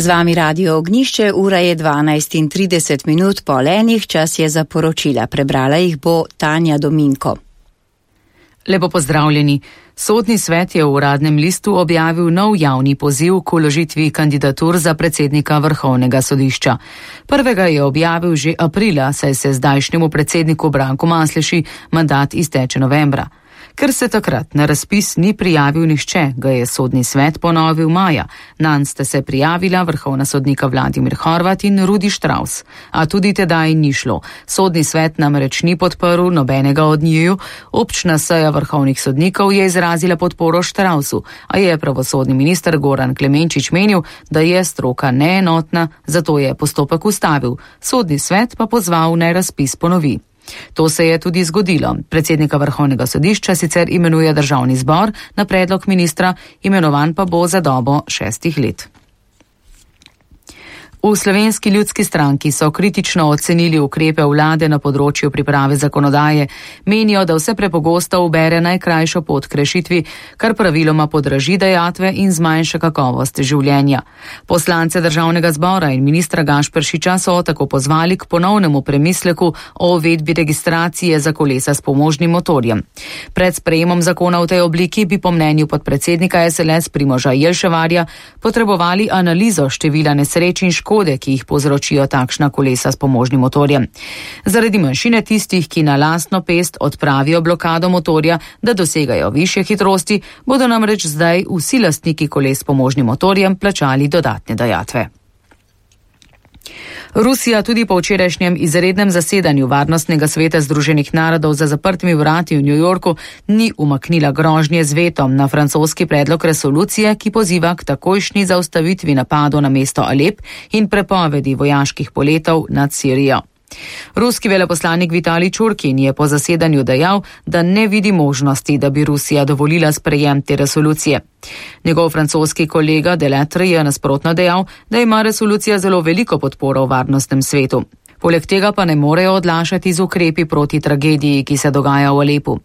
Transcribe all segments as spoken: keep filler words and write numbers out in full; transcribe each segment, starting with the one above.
Z vami Radio Ognjišče, ura je dvanajst in trideset minut po enih, čas je za poročila. Prebrala jih bo Tanja Dominko. Lepo pozdravljeni. Sodni svet je v Uradnem listu objavil nov javni poziv k vložitvi kandidatur za predsednika Vrhovnega sodišča. Prvega je objavil že aprila, saj se zdajšnjemu predsedniku Branku Masleši mandat izteče novembra. Ker se takrat na razpis ni prijavil nihče, ga je sodni svet ponovil maja. Nanj sta se prijavila vrhovna sodnika Vladimir Horvat in Rudi Štravs. A tudi tedaj ni šlo. Sodni svet namreč ni podprl nobenega od njiju. Občna seja vrhovnih sodnikov je izrazila podporo Štravsu, a je pravosodni minister Goran Klemenčič menil, da je stroka neenotna, zato je postopek ustavil. Sodni svet pa pozval, naj razpis ponovi. To se je tudi zgodilo. Predsednika Vrhovnega sodišča sicer imenuje Državni zbor na predlog ministra, imenovan pa bo za dobo šestih let. V Slovenski ljudski stranki so kritično ocenili ukrepe vlade na področju priprave zakonodaje. Menijo, da vse prepogosto ubere najkrajšo pot k rešitvi, kar praviloma podraži dajatve in zmanjša kakovost življenja. Poslance Državnega zbora in ministra Gašperšiča so tako pozvali k ponovnemu premisleku o uvedbi registracije za kolesa s pomožnim motorjem. Pred sprejemom zakona v tej obliki bi po mnenju podpredsednika es el es Primoža Jelševarja potrebovali analizo števila nesreč in škod, ki jih povzročijo takšna kolesa s pomožnim motorjem. Zaradi manjšine tistih, ki na lastno pest odpravijo blokado motorja, da dosegajo višje hitrosti, bodo namreč zdaj vsi lastniki koles s pomožnim motorjem plačali dodatne dajatve. Rusija tudi po včerajšnjem izrednem zasedanju Varnostnega sveta Združenih narodov za zaprtimi vrati v New Yorku ni umaknila grožnje z vetom na francoski predlog resolucije, ki poziva k takojšnji zaustavitvi napadov na mesto Alep in prepovedi vojaških poletov nad Sirijo. Ruski veleposlanik Vitalij Čurkin je po zasedanju dejal, da ne vidi možnosti, da bi Rusija dovolila sprejem te resolucije. Njegov francoski kolega Delattre je nasprotno dejal, da ima resolucija zelo veliko podporo v varnostnem svetu. Poleg tega pa ne morejo odlašati z ukrepi proti tragediji, ki se dogaja v Alepu.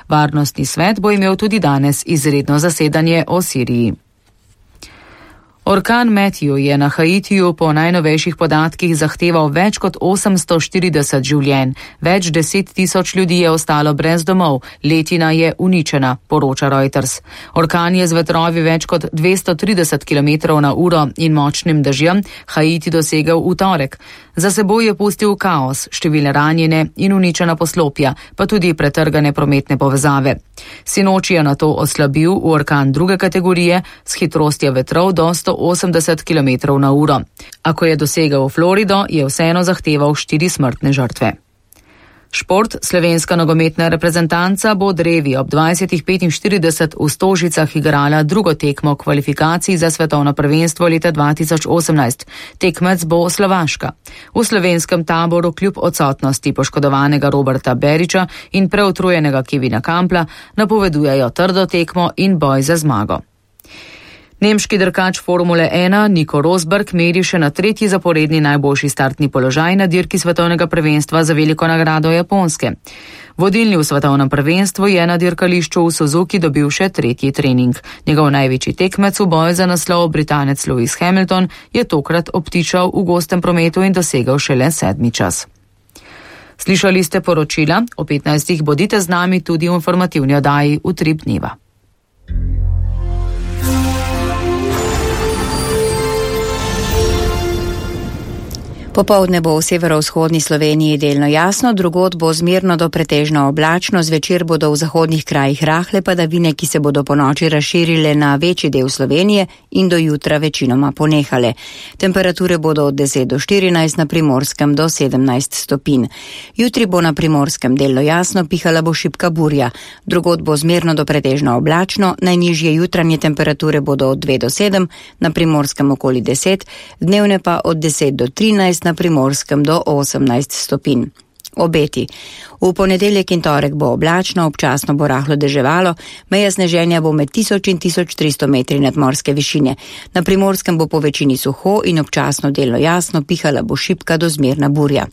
Varnostni svet bo imel tudi danes izredno zasedanje o Siriji. Orkan Matthew je na Haitiju po najnovejših podatkih zahteval več kot osemsto štirideset življenj. Več deset tisoč ljudi je ostalo brez domov, letina je uničena, poroča Reuters. Orkan je z vetrovi več kot dvesto trideset kilometrov na uro in močnim dežjem Haiti dosegel v torek. Za seboj je pustil kaos, številne ranjene in uničena poslopja, pa tudi pretrgane prometne povezave. Sinoči je nato oslabil v orkan druge kategorije s hitrostjo vetrov do sto osemdeset kilometrov na uro. A ko je dosegel Florido, je vseeno zahteval štiri smrtne žrtve. Šport, slovenska nogometna reprezentanca bo drevi ob dvajsetih petinštirideset v Stožicah igrala drugo tekmo kvalifikacij za svetovno prvenstvo leta dva tisoč osemnajst. Tekmec bo Slovaška. V slovenskem taboru kljub odsotnosti poškodovanega Roberta Beriča in preutrujenega Kevina Kampla napovedujejo trdo tekmo in boj za zmago. Nemški dirkač Formule ena Nico Rosberg meri še na tretji zaporedni najboljši startni položaj na dirki svetovnega prvenstva za veliko nagrado Japonske. Vodilni v svetovnem prvenstvu je na dirkališču v Suzuki dobil še tretji trening. Njegov največji tekmec v boju za naslov, Britanec Lewis Hamilton, je tokrat obtičal v gostem prometu in dosegel šele sedmi čas. Slišali ste poročila, o petnajstih bodite z nami tudi v informativni oddaji Utrip dneva. Popoldne bo v severovzhodni Sloveniji delno jasno, drugod bo zmerno do pretežno oblačno, zvečer bodo v zahodnih krajih rahle padavine, ki se bodo po noči razširile na večji del Slovenije in do jutra večinoma ponehale. Temperature bodo od deset do štirinajst, na Primorskem do sedemnajst stopinj. Jutri bo na Primorskem delno jasno, pihala bo šibka burja. Drugod bo zmerno do pretežno oblačno, najnižje jutranje temperature bodo od dve do sedem, na Primorskem okoli deset, dnevne pa od deset do trinajst, na Primorskem do osemnajst stopinj. Obeti. V ponedeljek in torek bo oblačno, občasno bo rahlo deževalo, meja sneženja bo med tisoč in tisoč tristo metri nadmorske višine. Na Primorskem bo po večini suho in občasno delno jasno, pihala bo šibka do zmerna burja.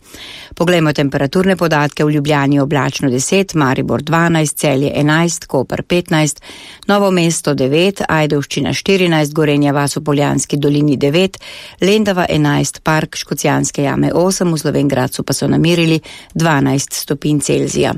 Poglejmo temperaturne podatke. V Ljubljani oblačno deset, Maribor dvanajst, Celje enajst, Koper petnajst, Novo mesto devet, Ajdovščina štirinajst, Gorenja vas v Poljanski dolini devet, Lendava enajst, Park Škocjanske jame osem, v Slovenj Gradcu pa so namerili dvanajst stopinj Celzija.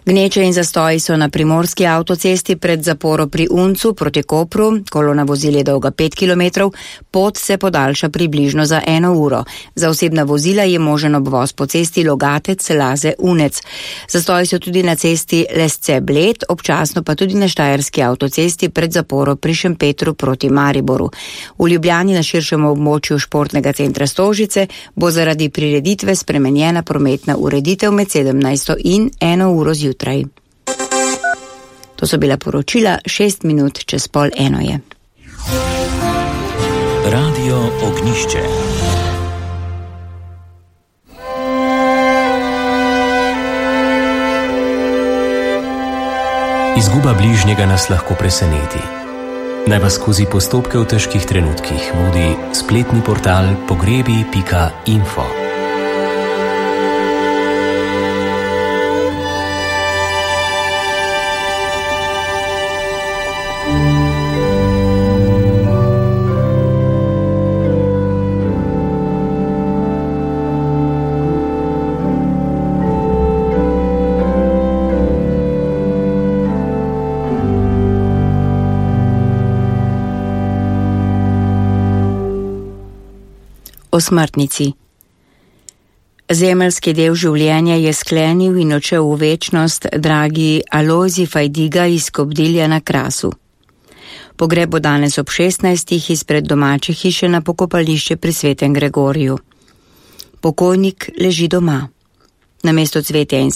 Gneče in zastoji so na primorski avtocesti pred zaporo pri Uncu proti Kopru. Kolona vozil je dolga pet kilometrov, pot se podaljša približno za eno uro. Za osebna vozila je možen obvoz po cesti Logatec, Laze, Unec. Zastoji so tudi na cesti Lesce Bled, občasno pa tudi na štajerski avtocesti pred zaporo pri Šempetru proti Mariboru. V Ljubljani na širšem območju športnega centra Stožice bo zaradi prireditve spremenjena prometna ureditev med sedemnajsto in eno uro zjutraj. To so bila poročila, šest minut čez pol eno je. Radio Ognjišče. Izguba bližnjega nas lahko preseneti. Naj vas skozi postopke v težkih trenutkih vodi spletni portal pogrebi pika info. O smrtnici. Zemeljski del življenja je sklenil in odšel v večnost dragi Alojzij Fajdiga iz Kobdilja na Krasu. Pogreb bo danes ob šestnajstih izpred domače hiše na pokopališče pri Svetem Gregoriju. Pokojnik leži doma. Namesto cvetja in